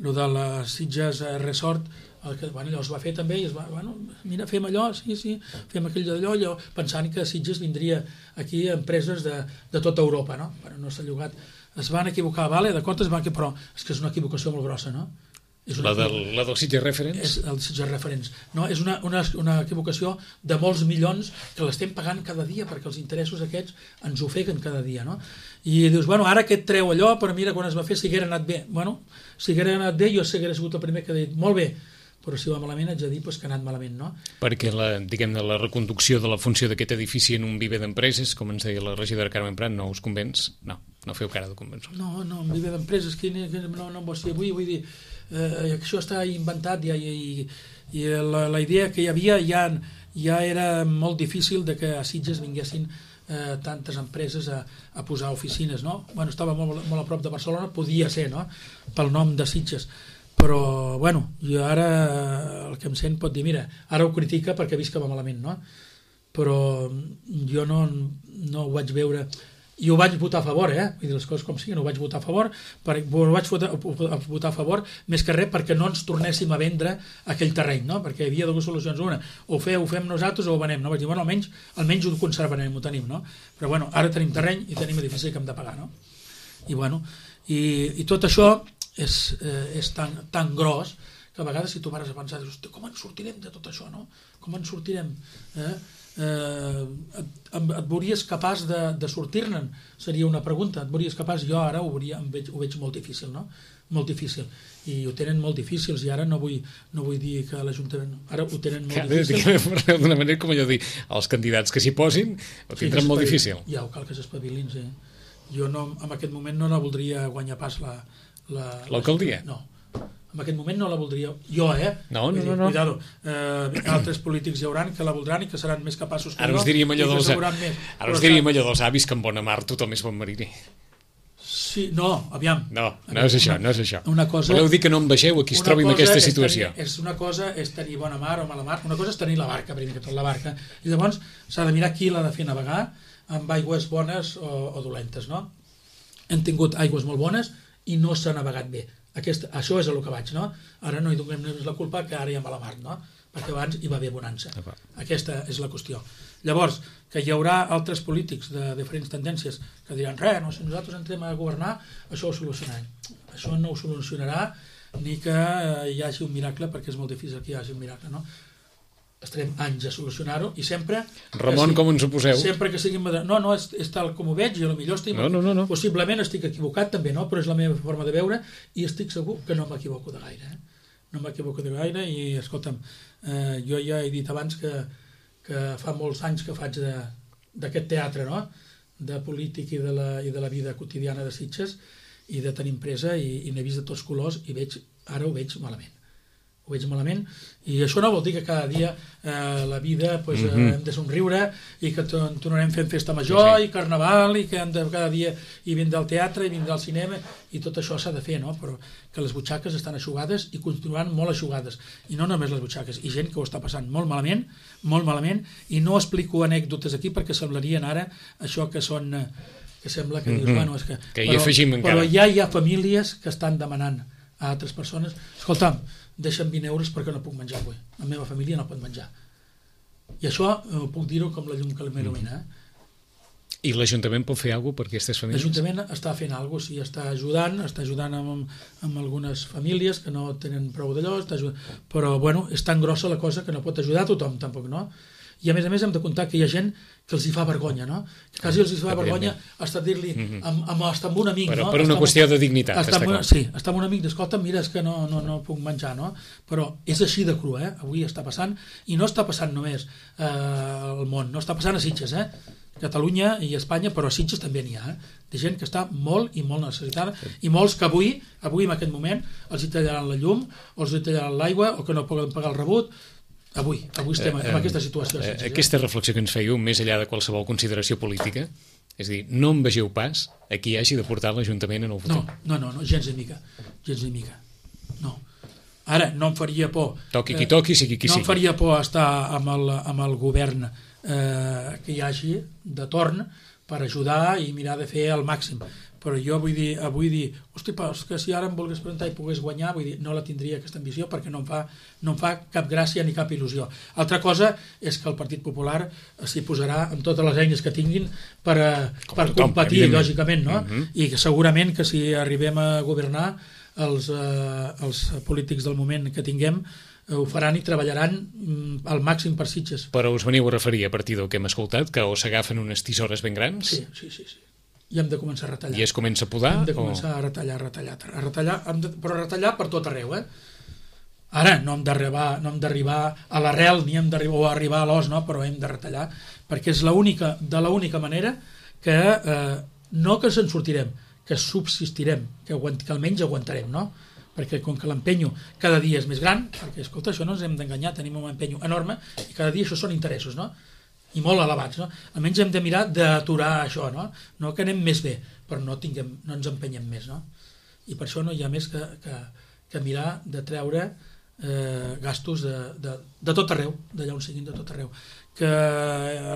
lo de la Sitges Resort, el que, bueno, allò es va fer també, i es va, bueno, mira, fem allò, sí, sí, fem aquell d'allò, allò, pensant que Sitges vindria aquí a empreses de, de tota Europa, no? Però no s'ha llogat. Es van equivocar, vale, d'acord, es van equivocar, però és que és una equivocació molt grossa, no? És una, la, del, la del Sitges Reference? És el Sitges Reference. No, és una, una, una equivocació de molts milions que l'estem pagant cada dia perquè els interessos aquests ens ofeguen cada dia, no? I dius, bueno, ara aquest treu allò, però mira, quan es va fer si haguera anat bé. Bueno, si haguera anat bé, jo s'haguera sigut el primer que ha dit, molt bé, però si va malament haig de dir pues, que ha anat malament, no? Perquè la, diguem-ne, la reconducció de la funció d'aquest edifici en un viver d'empreses, com ens deia la regidora Carmen Prat, no us convenç? No, no feu cara de convençut. No, no, un viver d'empreses, que no, no em vols dir avui, vull dir, eh, això està inventat ja, i, i la, la idea que hi havia ja, ja era molt difícil de que a Sitges vinguessin eh, tantes empreses a, a posar oficines, no? Bueno, estava molt, molt a prop de Barcelona, podia ser, no?, pel nom de Sitges, però, bueno, jo ara el que em sent pot dir, mira, ara ho critica perquè ha vist que va malament, no? Però jo no, no ho vaig veure, i ho vaig votar a favor, eh? Vull dir, les coses com siguin, ho vaig votar a favor, per, ho vaig votar, votar a favor més que res perquè no ens tornéssim a vendre aquell terreny, no? Perquè hi havia dues solucions, una, o feu, ho fem nosaltres o ho venem, no? Vaig dir, bueno, almenys, almenys ho conservarem, ho tenim, no? Però, bueno, ara tenim terreny i tenim edifici que hem de pagar, no? I, bueno, i, i tot això és, eh, és tan, tan gros que a vegades si tu pares a pensar, dius, com en sortirem de tot això, no? Com en sortirem? Eh? Eh, et, et veuries capaç de, de sortir-ne'n? Seria una pregunta. Et veuries capaç? Jo ara ho, veuria, em veig, ho veig molt difícil, no? Molt difícil. I ho tenen molt difícils i ara no vull, no vull dir que l'Ajuntament... Ara ho tenen molt Cada, difícil. D'una manera com allò dir, els candidats que s'hi posin ho tindran sí, molt difícil. Ja, ho cal que s'espavilin, sí. Jo no, en aquest moment no la voldria guanyar pas la... L'alcaldia? No. En aquest moment no la voldria jo, eh? No, no, no, no. Cuidado, eh, altres polítics hi hauran que la voldran i que seran més capaços que ara jo. Us diríem allò dels, més. Ara us diríem allò dels avis que en bona mar tothom és bon mariner. Sí, no, aviam. No, no és això, no és això. Una cosa, voleu dir que no em vegeu a qui es trobi en aquesta situació. És, tenir, és una cosa és tenir bona mar o mala mar, una cosa és tenir la barca, primer que tot la barca, i llavors s'ha de mirar qui l'ha de fer navegar amb aigües bones o, o dolentes, no? Hem tingut aigües molt bones i no s'ha navegat bé. Aquest, això és el que vaig, no? Ara no hi donem la culpa que ara hi ha mala mar, no? Perquè abans hi va haver bonança. Aquesta és la qüestió. Llavors, que hi haurà altres polítics de diferents tendències que diran, res, no, si nosaltres entrem a governar, això ho solucionarem. Això no ho solucionarà ni que hi hagi un miracle, perquè és molt difícil que hi hagi un miracle, no? Estarem anys a solucionar-ho i sempre... Ramon, si, com ens ho poseu? Sempre que siguin... No, no, és, és tal com ho veig i potser estic... No, no, no, no. Possiblement estic equivocat també, no? Però és la meva forma de veure i estic segur que no m'equivoco de gaire. Eh? No m'equivoco de gaire i, escolta'm, eh, jo ja he dit abans que, que fa molts anys que faig d'aquest teatre, no? De polític i de, la, i de la vida quotidiana de Sitges i de tenir empresa i, i n'he vist de tots colors i veig, ara ho veig malament. Ho veig malament, i això no vol dir que cada dia eh, la vida pues, eh, mm-hmm. hem de somriure i que tornarem fent festa major sí, sí. i carnaval i que hem de, cada dia hi vindrà al teatre i vindrà al cinema i tot això s'ha de fer, no? Però que les butxaques estan eixugades i continuaran molt eixugades, i no només les butxaques, i gent que ho està passant molt malament, molt malament, i no explico anècdotes aquí perquè semblarien ara això que són... que sembla que dius, mm-hmm. bueno, és que... que hi afegim encara. Però ja hi ha famílies que estan demanant a altres persones, escolta'm, deixa'm vint euros perquè no puc menjar avui. La meva família no pot menjar. I això eh, puc dir-ho com la llum que m'il·lumina. Eh? I l'Ajuntament pot fer alguna cosa per aquestes famílies? L'Ajuntament està fent alguna cosa, sí, està ajudant, està ajudant amb, amb algunes famílies que no tenen prou d'allò, està ajudant, però bueno, és tan grossa la cosa que no pot ajudar a tothom tampoc, no? I a més a més hem de comptar que hi ha gent que els hi fa vergonya, no? Que quasi els hi fa vergonya estar a dir-li amb, amb, estar amb un amic, però, no? Per una estar qüestió amb, de dignitat, estar està amb una, clar. Sí, estar amb un amic, escolta, mira, és que no, no, no puc menjar, no? Però és així de cru, eh? Avui està passant, i no està passant només eh, al món, no està passant a Sitges, eh? Catalunya i Espanya, però a Sitges també n'hi ha, eh? De gent que està molt i molt necessitada, i molts que avui, avui en aquest moment, els hi tallaran la llum, o els hi tallaran l'aigua, o que no poden pagar el rebut. Avui, avui estem en eh, aquesta situació. Eh, eh, aquesta reflexió que ens fèieu, més enllà de qualsevol consideració política, és a dir, no em vegeu pas a qui hagi de portar l'Ajuntament en el futur. No, no, no, no gens de mica, gens de mica, no. Ara, no em faria por... Toqui qui toqui, sigui qui no sigui. No em faria por estar amb el, amb el govern eh, que hi hagi de torn per ajudar i mirar de fer el màxim. Però jo vull dir, vull dir, hosti, però és que si ara em volgués presentar i pogués guanyar, vull dir, no la tindria aquesta ambició perquè no em fa, no em fa cap gràcia ni cap il·lusió. Altra cosa és que el Partit Popular s'hi posarà amb totes les eines que tinguin per, per tothom, competir, lògicament, no? Uh-huh. I que segurament que si arribem a governar, els, eh, els polítics del moment que tinguem ho faran i treballaran al màxim per Sitges. Però us veniu a referir a partir del que hem escoltat, que o s'agafen unes tisores ben grans? Sí, sí, sí, sí. I hem de començar a retallar. I es comença a podar? Hem de començar o... a retallar, a retallar, a retallar, de, però a retallar per tot arreu, eh? Ara no hem d'arribar no hem d'arribar a l'arrel ni hem d'arribar o a arribar a l'os, no? Però hem de retallar, perquè és l'única, de l'única manera que eh, no que se'n sortirem, que subsistirem, que, aguant, que almenys aguantarem, no? Perquè com que l'empenyo cada dia és més gran, perquè, escolta, això no ens hem d'enganyar, tenim un empenyo enorme i cada dia això són interessos, no? I molt elevats, no? Almenys hem de mirar d'aturar això, no? No que anem més bé, però no, tinguem, no ens empenyem més, no? I per això no hi ha més que, que, que mirar de treure eh, gastos de, de, de tot arreu, d'allà on siguin, de tot arreu. Que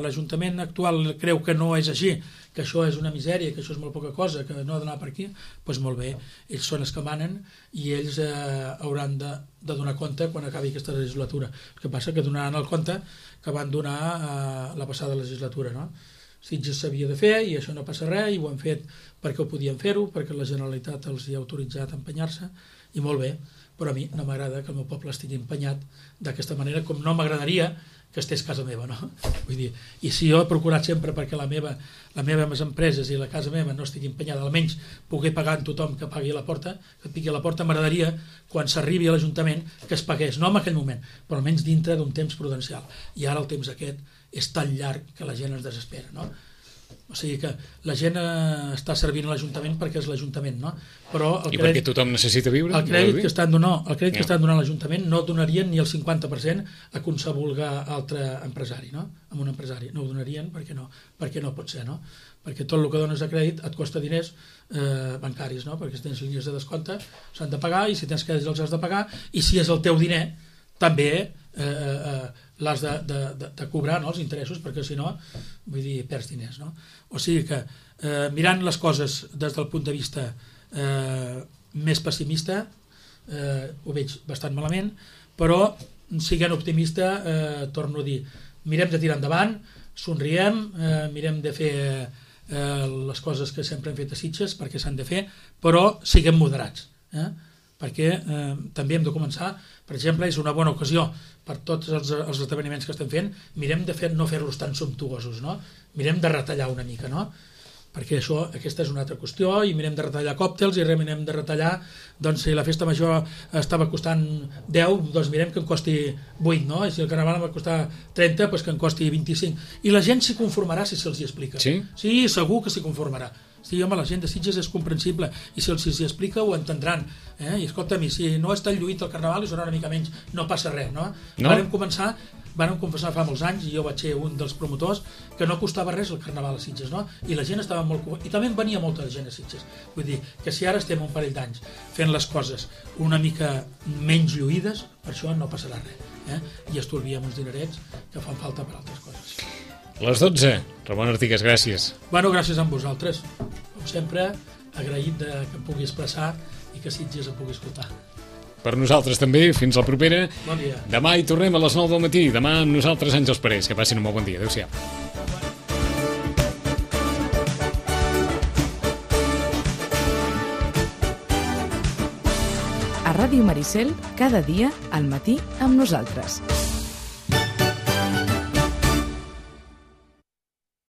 l'Ajuntament actual creu que no és així, que això és una misèria, que això és molt poca cosa, que no ha d'anar per aquí, doncs molt bé, ells són els que manen i ells eh, hauran de, de donar compte quan acabi aquesta legislatura. El que passa que donaran el compte que van donar eh, la passada legislatura, no? Sitges s'havia de fer i això no passa res i ho han fet perquè ho podien fer-ho, perquè la Generalitat els hi ha autoritzat a empenyar-se i molt bé, però a mi no m'agrada que el meu poble estigui empenyat d'aquesta manera, com no m'agradaria que estés casa meva, no? Vull dir, i si jo he procurat sempre perquè la meva, la meva les empreses i la casa meva no estigui empenyada, almenys poder pagar en tothom que pagui a la porta, que piqui a la porta, m'agradaria, quan s'arribi a l'Ajuntament, que es pagués, no en aquell moment, però almenys dintre d'un temps prudencial. I ara el temps aquest és tan llarg que la gent es desespera, no? O sigui que la gent eh, està servint a l'Ajuntament perquè és l'Ajuntament, no? Però el I crèdit, perquè tothom necessita viure? El crèdit que estan donant, el crèdit no. que estan donant a l'Ajuntament no donarien ni el cinquanta per cent a qualsevol altre empresari, no? A un empresari. No ho donarien perquè no, perquè no pot ser, no? Perquè tot el que dones a crèdit et costa diners eh, bancaris, no? Perquè si tens línies de descompte s'han de pagar i si tens crèdits els has de pagar i si és el teu diner també eh, eh, l'has de, de, de, de cobrar, no? Els interessos, perquè si no, vull dir, perds diners, no? O sigui que eh, mirant les coses des del punt de vista eh, més pessimista eh, ho veig bastant malament, però siguent optimista, eh, torno a dir, mirem de tirar endavant, somriem, eh, mirem de fer eh, les coses que sempre hem fet a Sitges perquè s'han de fer, però siguem moderats, eh? Perquè eh, també hem de començar, per exemple, és una bona ocasió per tots els, els esdeveniments que estem fent, mirem de fer, no fer-los tan sumptuosos, no? Mirem de retallar una mica, no? Perquè això, aquesta és una altra qüestió, i mirem de retallar còctels, i mirem de retallar, doncs si la festa major estava costant deu, doncs mirem que en costi vuit, no? I si el carnaval va costar trenta, doncs que en costi vint-i-cinc. I la gent s'hi conformarà si se'ls hi explica. Sí? Sí, segur que s'hi conformarà. Sí, home, la gent de Sitges és comprensible i si els hi explica ho entendran, eh? I escolta'm, si no és tan lluït el carnaval i serà una mica menys, no passa res, no? No? Vàrem començar, vàrem confessar fa molts anys, i jo vaig ser un dels promotors, que no costava res el carnaval a Sitges, no? I la gent estava molt... I també en venia molta gent a Sitges. Vull dir, que si ara estem un parell d'anys fent les coses una mica menys lluïdes, per això no passarà res, eh? I estalviem uns dinerets que fan falta per altres coses. Les dotze. Ramon Artigas, gràcies. Bueno, gràcies a vosaltres. Com sempre, agraït de que em pugui expressar i que Sitges em pugui escoltar. Per nosaltres també. Fins la propera. Bon dia. Demà hi tornem a les nou del matí. Demà amb nosaltres, Àngels Parés. Que passin un molt bon dia. Adéu-siau. A Ràdio Maricel, cada dia al matí amb nosaltres.